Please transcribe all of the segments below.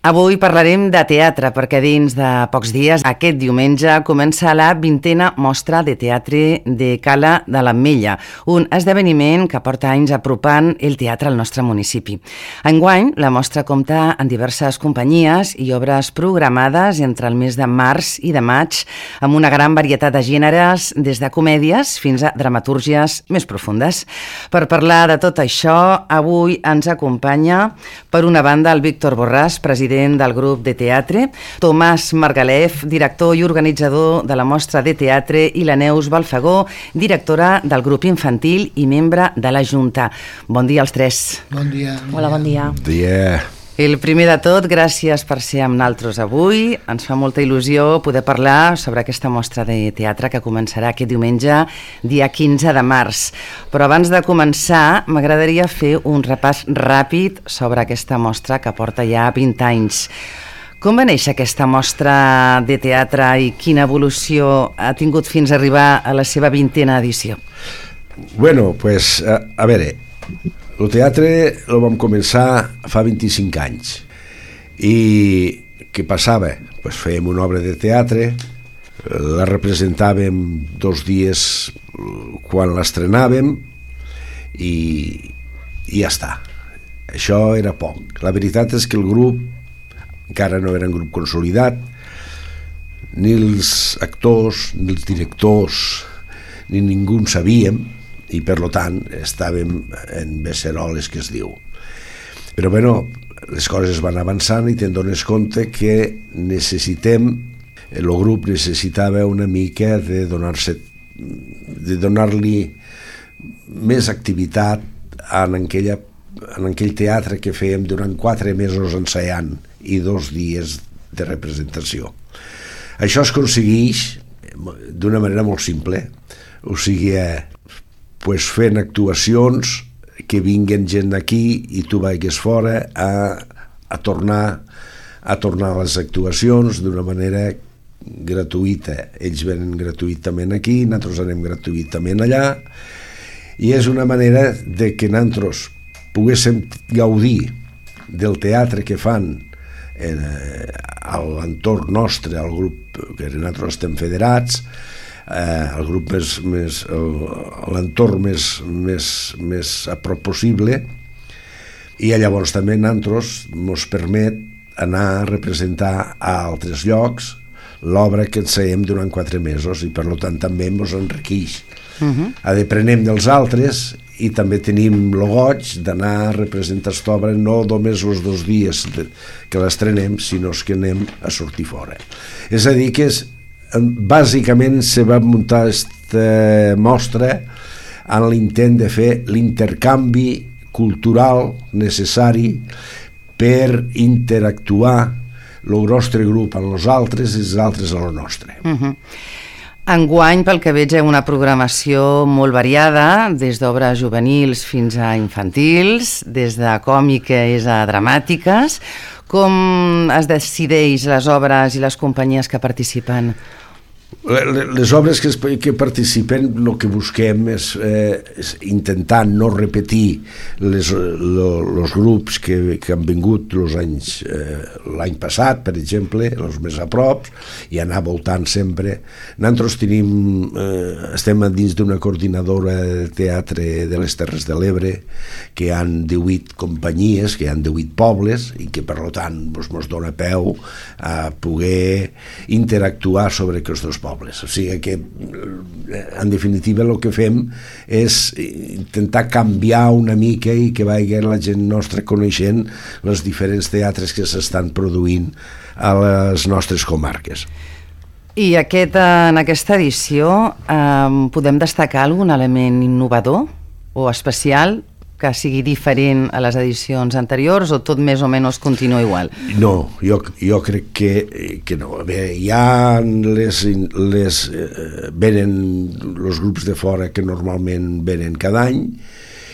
Avui parlarem de teatre perquè dins de pocs dies, aquest diumenge, comença la 20a mostra de teatre de Cala de l'Ametlla, un esdeveniment que porta anys apropant el teatre al nostre municipi. Enguany, la mostra compta amb diverses companyies i obres programades entre el mes de març i de maig, amb una gran varietat de gèneres, des de comèdies fins a dramatúrgies més profundes. Per parlar de tot això, avui ens acompanya, per una banda, el Víctor Borràs, president del grup de teatre, Tomàs Margalef, director i organitzador de la mostra de teatre, i la Neus Balfagó, directora del grup infantil i membre de la Junta. Bon dia als tres. Bon dia. Hola, bon dia. Bon dia. El primer de tot, gràcies per ser amb nosaltres avui. Ens fa molta il·lusió poder parlar sobre aquesta mostra de teatre que començarà aquest diumenge, dia 15 de març. Però abans de començar, m'agradaria fer un repàs ràpid sobre aquesta mostra que porta ja 20 anys. Com va néixer aquesta mostra de teatre i quina evolució ha tingut fins a arribar a la seva 20a edició? Bueno, pues, a veure, el teatre el vam començar fa 25 anys. I què passava? Pues fèiem una obra de teatre, la representàvem 2 dies quan l'estrenàvem i ja està. Això era poc. La veritat és que el grup encara no era un grup consolidat, ni els actors, ni els directors, ni ningú en sabíem, i per tant estàvem en beceroles, que es diu. Però bueno, les coses van avançant i te'n dones compte que el grup necessitava una mica de donar-li més activitat en aquell teatre que fèiem durant 4 mesos ensaiant i 2 dies de representació. Això es aconsegueix d'una manera molt simple, o sigui, fent actuacions que vinguen gent aquí i tu vagis fora a tornar a les actuacions d'una manera gratuïta. Ells venen gratuïtament aquí, nosaltres anem gratuïtament allà, i és una manera de que nosaltres poguéssim gaudir del teatre que fan a l'entorn nostre, al grup que nosaltres estem federats, el grup l'entorn més a prop possible, i llavors també nosaltres ens permet anar a representar a altres llocs l'obra que enseiem durant 4 mesos, i per tant també ens enriqueix. Aprenem dels altres i també tenim el goig d'anar a representar aquesta obra no només els 2 dies que l'estrenem, sinó que anem a sortir fora. És a dir, que bàsicament se va muntar aquesta mostra en l'intent de fer l'intercanvi cultural necessari per interactuar el nostre grup amb els altres i els altres amb el nostre. Enguany, pel que veig, hi ha una programació molt variada, des d'obres juvenils fins a infantils, des de còmiques a dramàtiques. Com es decideix les obres i les companyies que participen? Les obres que participen, el que busquem és intentar no repetir els grups que han vingut l'any passat, per exemple, els més a prop, i anar voltant sempre. Nosaltres estem dins d'una coordinadora de teatre de les Terres de l'Ebre, que hi ha 18 companyies, que hi ha 18 pobles, i que per tant ens dona peu a poder interactuar sobre aquests dos pobles. O sigui que, en definitiva, el que fem és intentar canviar una mica i que vagi la gent nostra coneixent els diferents teatres que s'estan produint a les nostres comarques. I en aquesta edició podem destacar algun element innovador o especial que sigui diferent a les edicions anteriors, o tot més o menys continua igual? No, jo crec que no. Bé, venen els grups de fora que normalment venen cada any,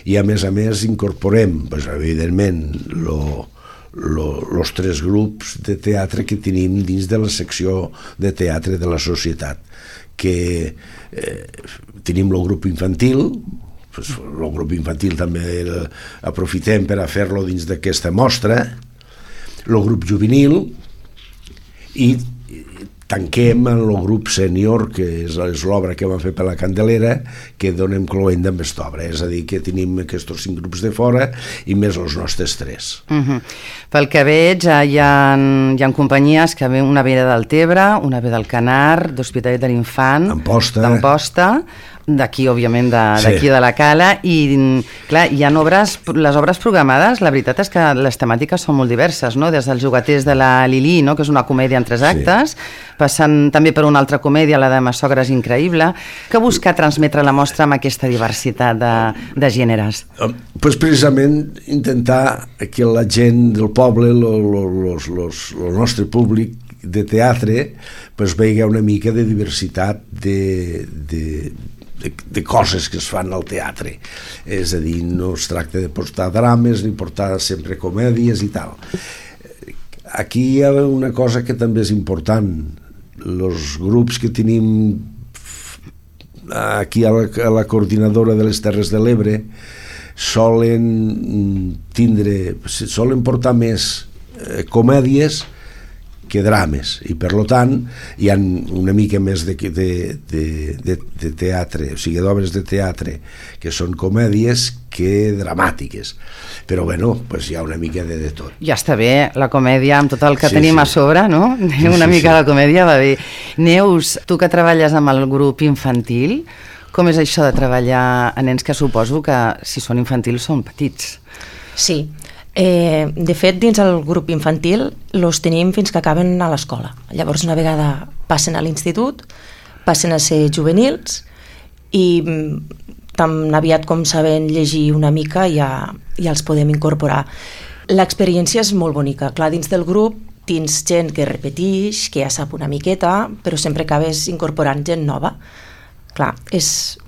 i a més incorporem, evidentment, els 3 grups de teatre que tenim dins de la secció de teatre de la societat, que tenim el grup infantil, el grup infantil també aprofitem per a fer-lo dins d'aquesta mostra, el grup juvenil i tanquem en el grup sènior, que és l'obra que vam fer per la Candelera, que donem cloenda amb aquesta obra. És a dir, que tenim aquests 5 grups de fora i més els nostres 3. Pel que veig, hi ha companyies que una ve de Deltebre, una ve del Canar, d'Hospitalet de l'Infant, d'Amposta, d'aquí, òbviament, d'aquí de la Cala, i clar, hi ha les obres programades, la veritat és que les temàtiques són molt diverses, no? Des dels Jugaters de la Lili, no? Que és una comèdia en 3 actes, passant també per una altra comèdia, la de Ma sogra és increïble. Què busca transmetre la mostra amb aquesta diversitat de gèneres? Pues precisament intentar que la gent del poble, el nostre públic de teatre, pues vegi una mica de diversitat de coses que es fan al teatre. És a dir, no es tracta de portar drames ni portar sempre comèdies i tal. Aquí hi ha una cosa que també és important. Els grups que tenim aquí a la coordinadora de les Terres de l'Ebre solen portar més comèdies que drames, i per tant hi ha una mica més de teatre, o sigui, d'obres de teatre que són comèdies que dramàtiques, però bueno, pues hi ha una mica de tot. Ja està bé, la comèdia amb tot el que tenim a sobre, no? Una mica la comèdia va bé. Neus, tu que treballes amb el grup infantil, com és això de treballar a nens que suposo que si són infantils són petits? Sí, de fet dins el grup infantil els tenim fins que acaben a l'escola. Llavors una vegada passen a l'institut, passen a ser juvenils i tan aviat com saben llegir una mica ja els podem incorporar. L'experiència és molt bonica. Clar, dins del grup tens gent que repeteix, que ja sap una miqueta, però sempre acabes incorporant gent nova. Clar,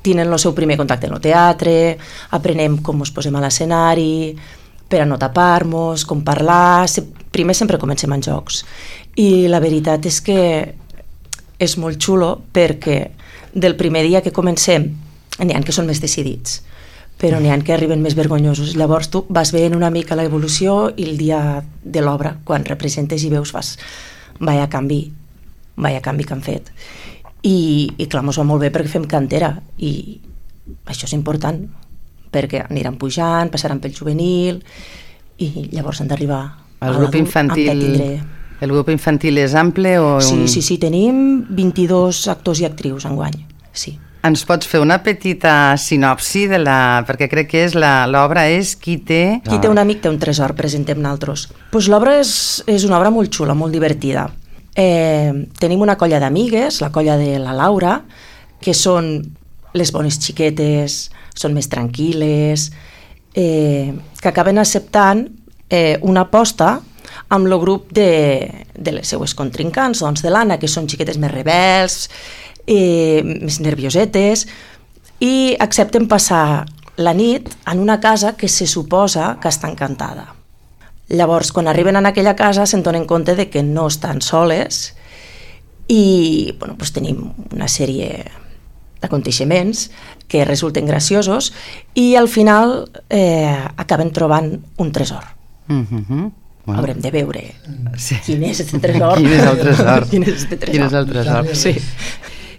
tenen el seu primer contacte en el teatre, aprenem com ens posem a l'escenari, per a no tapar-nos, com parlar. Primer sempre comencem en jocs. I la veritat és que és molt xulo perquè del primer dia que comencem n'hi ha que són més decidits, però n'hi ha que arriben més vergonyosos. Llavors tu vas veient una mica l'evolució i el dia de l'obra, quan representes i veus, fas vaya canvi que han fet. I clar, mos va molt bé perquè fem cantera i això és important, perquè aniran pujant, passaran pel juvenil i llavors han d'arribar a l'adult amb tindre. El grup infantil és ample? Sí, tenim 22 actors i actrius enguany, sí. Ens pots fer una petita sinopsi perquè crec que l'obra és Qui té un amic té un tresor, presentem nosaltres. Pues l'obra és una obra molt xula, molt divertida. Tenim una colla d'amigues, la colla de la Laura, que són les bones xiquetes, són més tranquil·les, que acaben acceptant una aposta amb el grup de les seues contrincants, doncs de l'Anna, que són xiquetes més rebels, més nerviosetes, i accepten passar la nit en una casa que se suposa que està encantada. Llavors, quan arriben a aquella casa, se'n donen compte de que no estan soles i doncs tenim una sèrie d'aconteixements que resulten graciosos i al final acaben trobant un tresor. Haurem de veure quin és aquest tresor. Quin és el tresor? Sí.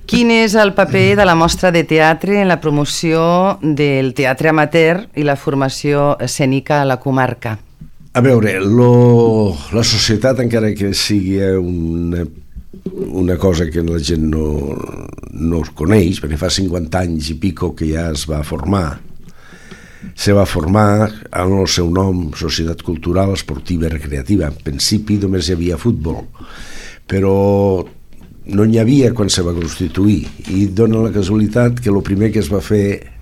Quin és el paper de la mostra de teatre en la promoció del teatre amateur i la formació escènica a la comarca? A veure, la societat, encara que sigui una cosa que la gent no es coneix, perquè fa 50 anys i pico que ja es va formar en el seu nom, Societat Cultural Esportiva i Recreativa. En principi només hi havia futbol, però no n'hi havia quan se va constituir, i dona la casualitat que el primer que es va fer,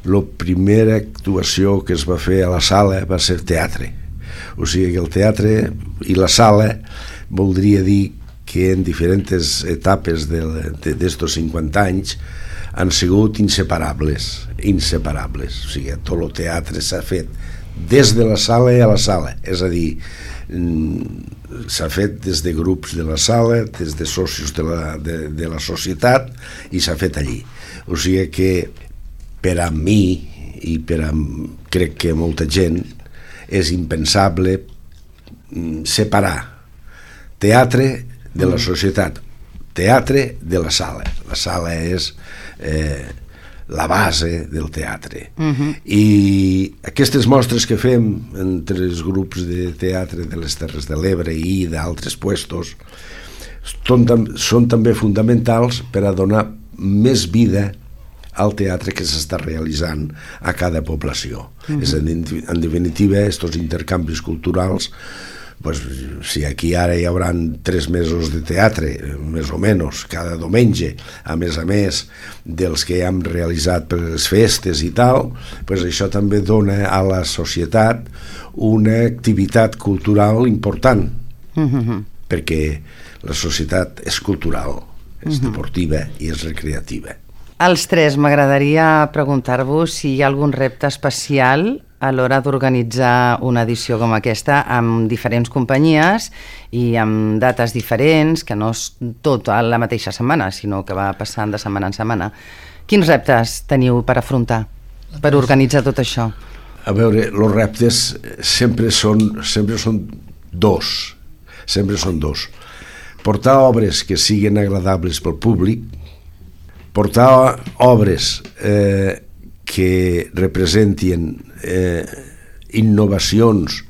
la primera actuació que es va fer a la sala va ser teatre. O sigui que el teatre i la sala voldria dir que en diferents etapes d'estos 50 anys han sigut inseparables. O sigui, tot el teatre s'ha fet des de la sala a la sala, és a dir, s'ha fet des de grups de la sala, des de socis de la societat, i s'ha fet allí. O sigui que per a mi i crec que molta gent és impensable separar teatre de la societat, teatre de la sala. La sala és la base del teatre. I aquestes mostres que fem entre els grups de teatre de les Terres de l'Ebre i d'altres puestos són també fonamentals per a donar més vida al teatre que s'està realitzant a cada població. En definitiva, aquests intercanvis culturals, pues, si aquí ara hi haurà 3 mesos de teatre, més o menys, cada diumenge, a més dels que hem realitzat per les festes i tal, pues això també dona a la societat una activitat cultural important, perquè la societat és cultural, és deportiva i és recreativa. Als 3 m'agradaria preguntar-vos si hi ha algun repte especial a l'hora d'organitzar una edició com aquesta amb diferents companyies i amb dates diferents, que no és tot a la mateixa setmana, sinó que va passant de setmana en setmana. Quins reptes teniu per afrontar, per organitzar tot això? A veure, els reptes sempre són dos. Portar obres que siguin agradables pel públic, portar obres que representin innovacions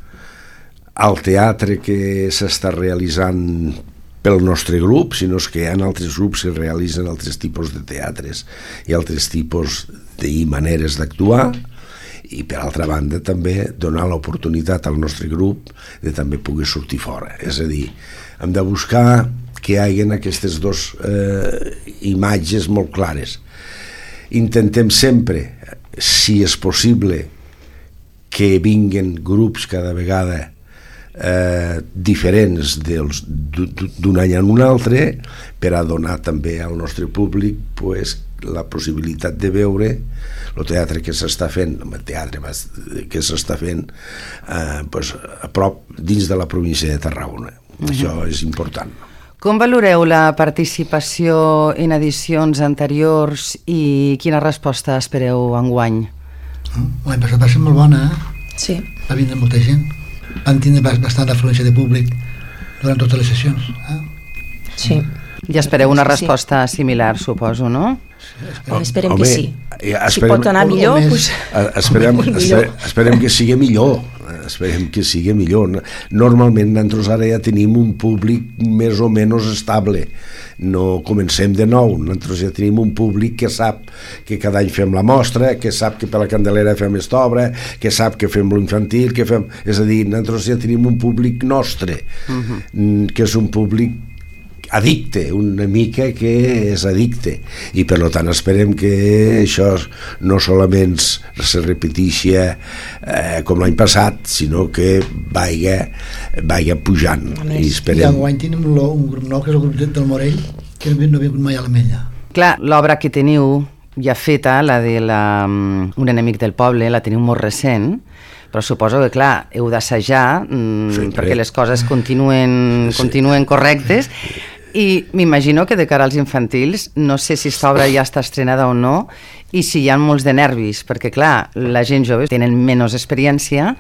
al teatre que s'està realitzant pel nostre grup, sinó que hi ha altres grups que realitzen altres tipus de teatres i altres tipus i maneres d'actuar, i per altra banda també donar l'oportunitat al nostre grup de també poder sortir fora. És a dir, hem de buscar que hi hagi aquestes dues imatges molt clares. Intentem sempre, si és possible, que vinguin grups cada vegada diferents d'un any en un altre, per a donar també al nostre públic la possibilitat de veure el teatre que s'està fent, a prop dins de la província de Tarragona. Això és important. Com valoreu la participació en edicions anteriors i quina resposta espereu enguany? L'any passat va ser molt bona, Sí. Va vindre molta gent. Van tindre bastant afluència de públic durant totes les sessions. Sí. I espereu una resposta similar, suposo, no? Esperem que sí. Si pot anar millor, doncs... Esperem que sigui millor. Esperem que sigui millor. Normalment nosaltres ara ja tenim un públic més o menys estable. No comencem de nou. Nosaltres ja tenim un públic que sap que cada any fem la mostra, que sap que per la Candelera fem esta obra, que sap que fem l'infantil, que fem... És a dir, nosaltres ja tenim un públic nostre, que és un públic addicte, una mica que és addicte, i per tant esperem que això no solament se repeteixi com l'any passat, sinó que vagi pujant. I enguany tenim un grup nou, que és el grup del Morell, que no ha vingut mai a l'Ametlla. Clar, l'obra que teniu ja feta, la de Un enemic del poble, la teniu molt recent, però suposo que, clar, heu d'assajar perquè les coses continuen correctes. I m'imagino que de cara als infantils, no sé si aquesta obra ja està estrenada o no, i si hi ha molts de nervis, perquè clar, la gent jove tenen menys experiència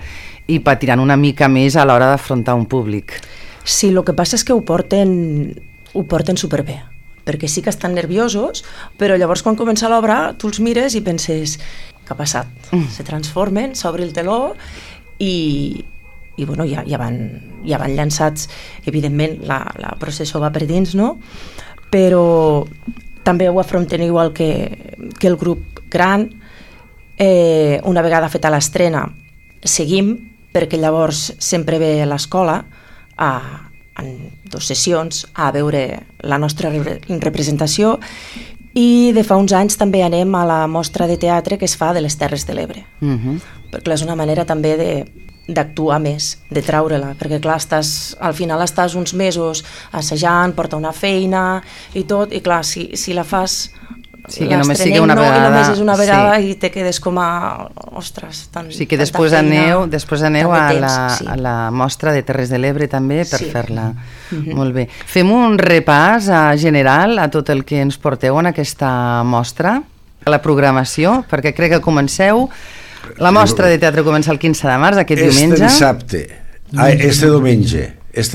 i patiran una mica més a l'hora d'afrontar un públic. Sí, el que passa és que ho porten superbé, perquè sí que estan nerviosos, però llavors quan comença l'obra tu els mires i penses, què ha passat? Se transformen, s'obre el teló i bueno, ja van llançats, evidentment la processó va per dins, no? Però també ho afrontem igual que el grup gran. Una vegada feta l'estrena seguim, perquè llavors sempre ve a l'escola en 2 sessions a veure la nostra representació, i de fa uns anys també anem a la mostra de teatre que es fa de les Terres de l'Ebre, perquè és una manera també d'actuar més, de treure-la, perquè clar, al final estàs uns mesos assajant, porta una feina i tot, i clar, si la fas l'estrenem i només és una vegada i te quedes com a ostres, que després aneu a la mostra de Terres de l'Ebre també per fer-la. Molt bé. Fem un repàs general a tot el que ens porteu en aquesta mostra, a la programació, perquè crec que comenceu. La mostra de teatre comença el 15 de març, aquest diumenge. Este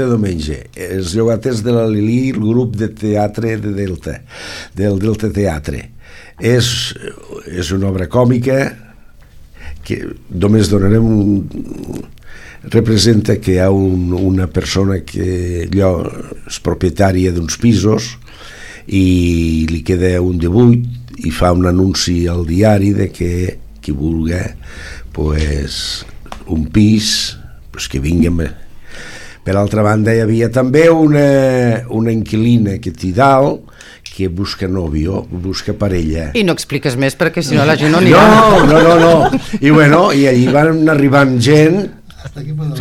diumenge. Els llogaters de la Lili, el grup de teatre de Delta, del Delta Teatre. És una obra còmica que només donarem representa que hi ha una persona que és propietària d'uns pisos i li queda un de buit i fa un anunci al diari de que qui vulgui pues, un pis pues, que vingui. Per altra banda hi havia també una inquilina que té dalt que busca nòvio, busca parella. I no expliques més perquè si no la gent no anirà. No. I bueno, i allí van arribant gent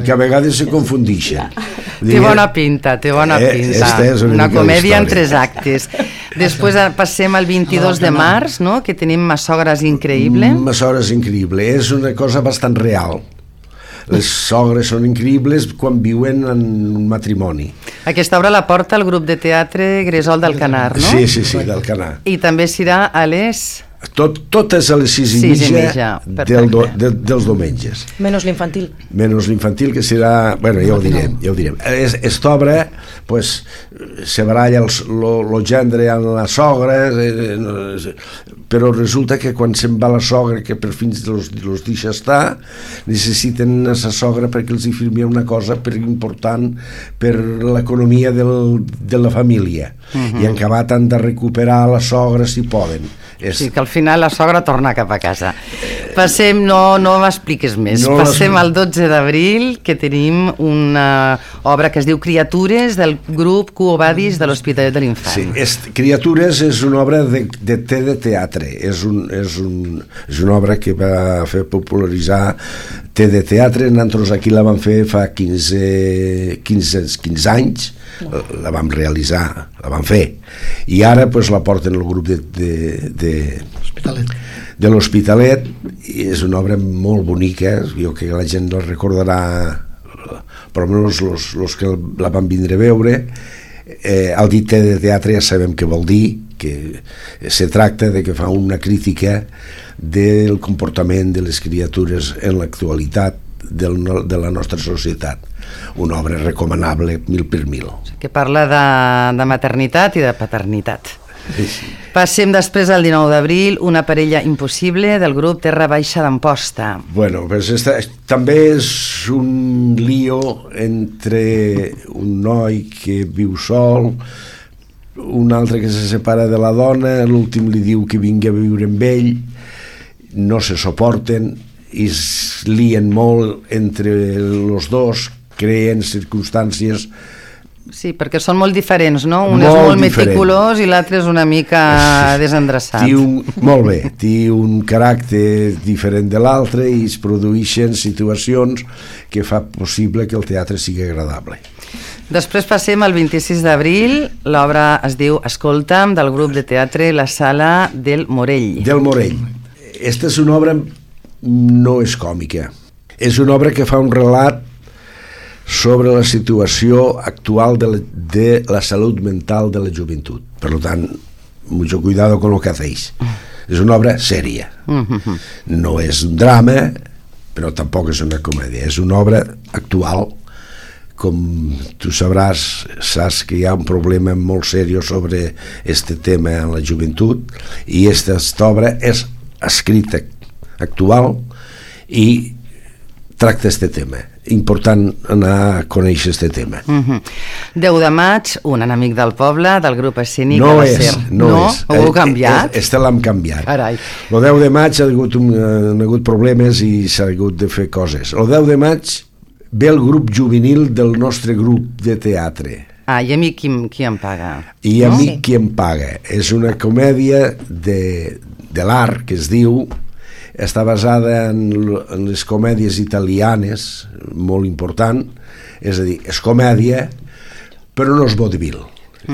que a vegades se confundixen. Té bona pinta. Una comèdia en 3 actes. Després passem al 22 de març, no? Que tenim Massogres Increïble. Massogres Increïble. És una cosa bastant real. Les sogres són increïbles quan viuen en un matrimoni. Aquesta obra la porta el grup de teatre Gresol d'Alcanar, no? Sí, d'Alcanar. I també serà a les... Totes a les 6:30 dels diumenges. Menys l'infantil. Menys l'infantil, que serà... Bueno, ja ho direm. Esta obra, pues, se baralla el gendre amb la sogra, però resulta que quan se'n va la sogra, que per fins els deixa estar, necessiten a la sogra perquè els hi firmi una cosa important per l'economia de la família. I en acabat han de recuperar la sogra si poden. Sí, que al final la sogra torna cap a casa. Passem, no m'expliques més. Passem al 12 d'abril, que tenim una obra que es diu Criatures, del grup Quo Vadis de l'Hospitalet de l'Infant. Sí, Criatures és una obra de teatre. És una obra que va fer popularitzar de teatre. Nosaltres aquí la vam fer fa 15 anys, la vam realitzar, la vam fer, i ara pues, la porten el grup de l'Hospitalet, i és una obra molt bonica. Jo crec que la gent la recordarà, per almenys els que la van vindre a veure. El dit de teatre ja sabem què vol dir, que se tracta de que fa una crítica del comportament de les criatures en l'actualitat de la nostra societat. Una obra recomanable 1000/1000. Que parla de maternitat i de paternitat. Sí. Passem després al 19 d'abril, Una parella impossible, del grup Terra Baixa d'Amposta. Bueno, pues també és un lío entre un noi que viu sol, un altre que se separa de la dona, l'últim li diu que vingui a viure amb ell, no se suporten i es lien molt entre els dos, creen circumstàncies. Sí, perquè són molt diferents, no? Un és molt meticulós i l'altre és una mica desendreçat. Molt bé, té un caràcter diferent de l'altre i es produeixen situacions que fa possible que el teatre sigui agradable. Després passem al 26 d'abril, l'obra es diu Escolta'm, del grup de teatre La Sala del Morell. Del Morell. Esta és una obra, no és còmica, és una obra que fa un relat sobre la situació actual de la salut mental de la joventut. Per tant, mucho cuidado con lo que hacéis. És una obra sèria. No és un drama, però tampoc és una comèdia. És una obra actual. Com tu saps que hi ha un problema molt seriós sobre este tema en la joventut, i aquesta obra és escrita actual i tracta aquest tema. Important anar a conèixer aquest tema. 10 de maig, Un enemic del poble, del grup escènic no de la és, SER. No és. Ho heu canviat? Este l'hem canviat. Carai. El 10 de maig han hagut problemes i s'ha hagut de fer coses. El 10 de maig ve el grup juvenil del nostre grup de teatre. I a mi qui em paga? I a mi qui em paga. És una comèdia de l'art, que es diu, està basada en les comèdies italianes, molt important, és a dir, és comèdia, però no és vodevil.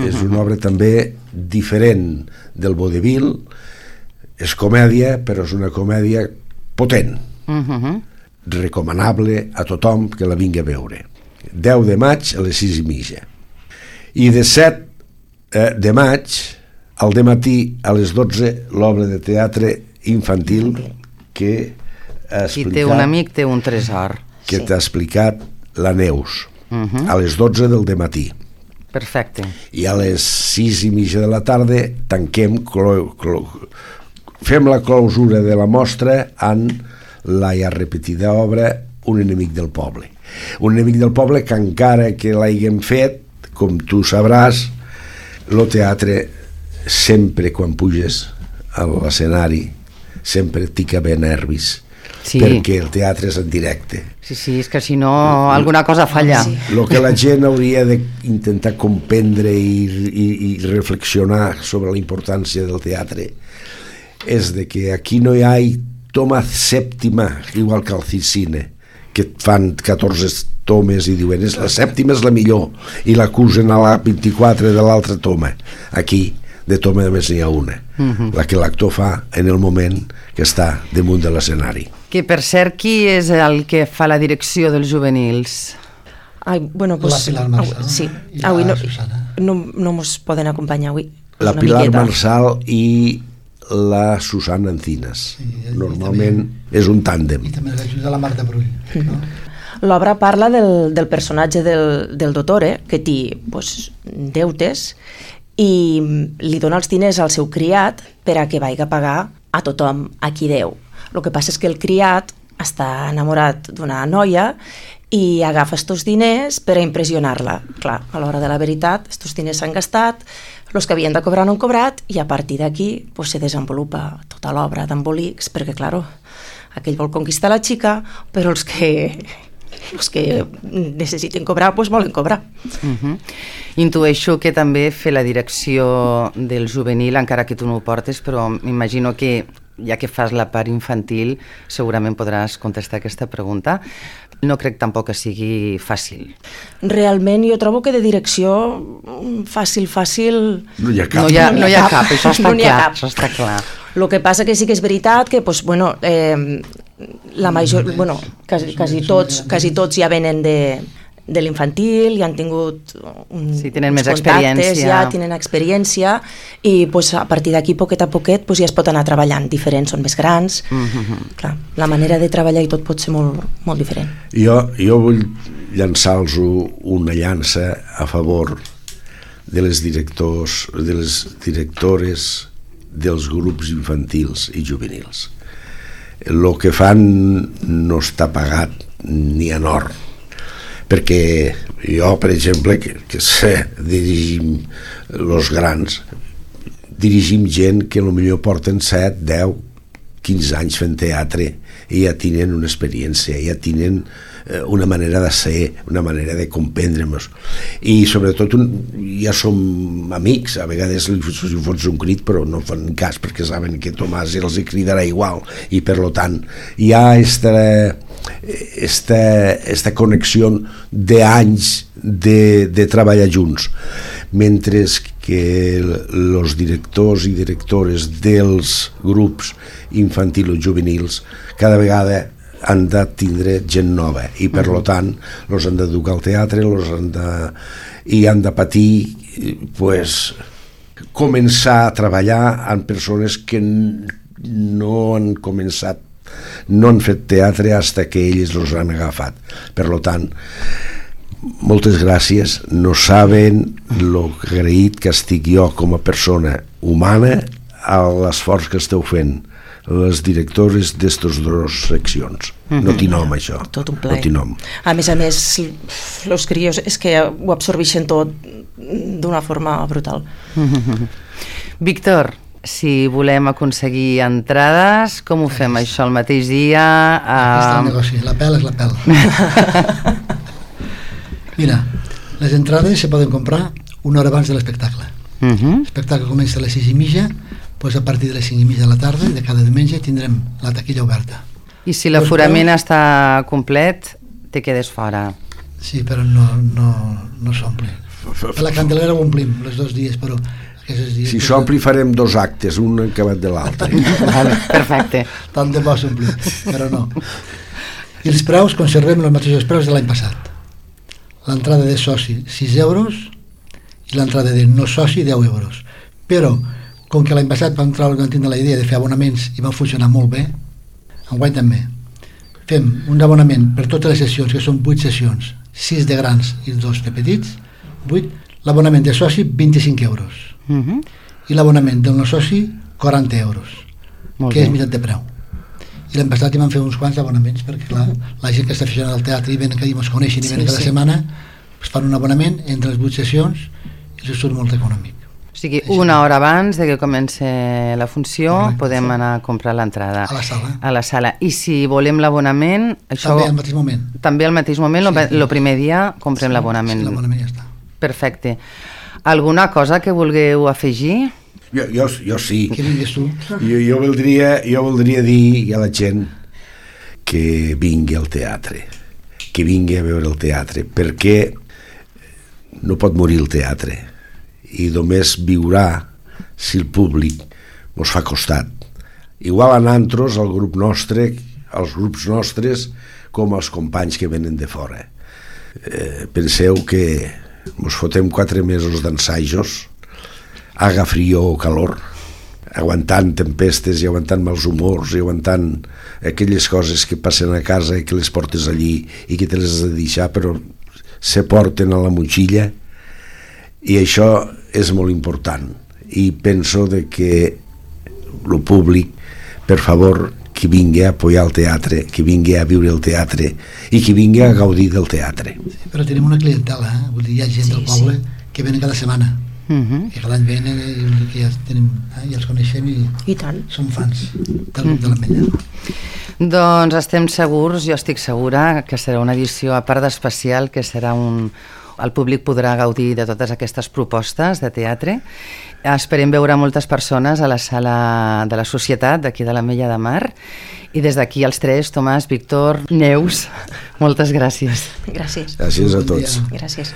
És una obra també diferent del vodevil, és comèdia, però és una comèdia potent, recomanable a tothom que la vingui a veure. 10 de maig a les 6:30. I de 7 de maig, al dematí a les 12, l'obra de teatre infantil que ha explicat... Qui té un amic té un tresor. Que t'ha explicat la Neus, a les 12 del dematí. Perfecte. I a les 6:30 de la tarda tanquem, fem la clausura de la mostra amb la ja repetida obra Un enemic del poble. Un enemic del poble que encara que l'haguem fet, com tu sabràs, el teatre sempre quan puges a l'escenari sempre t'hi caben nervis, perquè el teatre és en directe. Sí, és que si no alguna cosa falla. El que la gent hauria d'intentar comprendre i reflexionar sobre la importància del teatre és de que aquí no hi ha toma sèptima, igual que al cine, que fan 14 tomes i diuen la sèptima és la millor i l'acusen a la 24 de l'altra toma. Aquí de toma només n'hi ha una, la que l'actor fa en el moment que està damunt de l'escenari. Que per cert, qui és el que fa la direcció dels juvenils? Bueno, pues, la Pilar Marsal, sí. I la Avui Susana. No mos poden acompanyar avui. La Pilar Marsal i la Susana Encinas. Normalment és un tàndem. I també l'ajuda la Marta Brull, no? L'obra parla del personatge del dottore, que té deutes, i li dona els diners al seu criat per a que vagi a pagar a tothom a qui deu. El que passa és que el criat està enamorat d'una noia i agafa estos diners per a impressionar-la. Clar, a l'hora de la veritat, estos diners s'han gastat, els que havien de cobrar no han cobrat, i a partir d'aquí se desenvolupa tota l'obra d'embolics, perquè, clar, aquell vol conquistar la xica, però els que necessiten cobrar, volen cobrar. Intueixo que també fer la direcció del juvenil, encara que tu no ho portes, però m'imagino que ja que fas la part infantil segurament podràs contestar aquesta pregunta. No crec tampoc que sigui fàcil. Realment jo trobo que de direcció fàcil no hi ha cap. No hi ha cap, això està clar. El que passa que sí que és veritat que la major, quasi tots ja venen de l'infantil, ja han tingut tenen més experiència. Ja tenen experiència i a partir d'aquí, poquet a poquet, ja es pot anar treballant. Diferents, són més grans. Clar, la manera de treballar i tot pot ser molt, molt diferent. Jo vull llançar-los una llança a favor de les directors, de les directores dels grups infantils i juvenils. El que fan no està pagat ni en or, perquè jo, per exemple, que sé, dirigim els grans, dirigim gent que potser porten 7, 10, 15 anys fent teatre i ja tenen una experiència, ja tenen una manera de ser, una manera de comprendre-nos, i sobretot ja som amics. A vegades li fots un crit però no fan cas perquè saben que Tomàs els cridarà igual, i per tant hi ha esta connexió d'anys de treballar junts, mentre que els directors i directores dels grups infantils o juvenils cada vegada han de tindre gent nova i per tant els han d'educar al teatre i han de patir començar a treballar amb persones que no han començat, no han fet teatre fins que ells els han agafat. Per tant, moltes gràcies. No saben lo agraït que estic jo com a persona humana a l'esforç que esteu fent les directores d'estes dues seccions. No t'hi nom, això. Tot un plaer. No t'hi nom. A més, els crios és que ho absorbeixen tot d'una forma brutal. Víctor, si volem aconseguir entrades, com ho fem, això, el mateix dia? Aquest és el negoci, la pèl és la pèl. Mira, les entrades se poden comprar una hora abans de l'espectacle. L'espectacle comença a les 6:30, doncs a partir de les 5:30 de la tarda de cada diumenge tindrem la taquilla oberta. I si l'aforament està complet, te quedes fora. Sí, però no s'omple. A la Candelera ho omplim els 2 dies, però si s'ompli farem 2 actes, un acabat de l'altre. Perfecte. Tant de bo s'ompli, però no. I els preus conservem els mateixos preus de l'any passat. L'entrada de soci 6 euros i l'entrada de no soci 10 euros. Però com que l'any passat vam tindre la idea de fer abonaments i van funcionar molt bé, enguany també fem un abonament per totes les sessions, que són 8 sessions, 6 de grans i 2 de petits, 8. L'abonament de soci, 25 euros. I l'abonament del no soci, 40 euros, Molt que bé. és meitat de preu. I l'any passat hi vam fer uns quants abonaments, perquè clar, la gent que està aficionada al teatre i venen que ens coneixen i venen cada setmana, es fan un abonament entre les 8 sessions i els surt molt econòmic. O sigui, una hora abans de que comenci la funció podem anar a comprar l'entrada. A la sala. A la sala. I si volem l'abonament... Això... També al mateix moment. També al mateix moment, el primer dia comprem l'abonament. Sí, l'abonament ja està. Perfecte. Alguna cosa que vulgueu afegir? Jo sí. Que vinguis tu. Jo voldria dir a la gent que vingui al teatre, que vingui a veure el teatre, perquè no pot morir el teatre i només viurà si el públic mos fa costat. Igual a nosaltres, al grup nostre, als grups nostres, com als companys que venen de fora. Penseu que mos fotem 4 mesos d'ensajos, haga frío o calor, aguantant tempestes i aguantant mals humors i aguantant aquelles coses que passen a casa i que les portes allí i que te les has de deixar però se porten a la motxilla, i això és molt important. I penso de que el públic, per favor, que vingui a apoyar el teatre, que vingui a viure el teatre i que vingui a gaudir del teatre. Sí, però tenim una clientela, vull dir, hi ha gent del poble que venen cada setmana, que cada any venen i que ja tenim, ja els coneixem i tant. som fans del grup de l'Ametlla. Doncs estem segurs, jo estic segura que serà una edició a part d'especial, que serà el públic podrà gaudir de totes aquestes propostes de teatre. Esperem veure moltes persones a la sala de la Societat d'aquí de l'Ametlla de Mar, i des d'aquí els tres, Tomàs, Víctor, Neus, moltes gràcies. Gràcies. Gràcies a tots. Gràcies.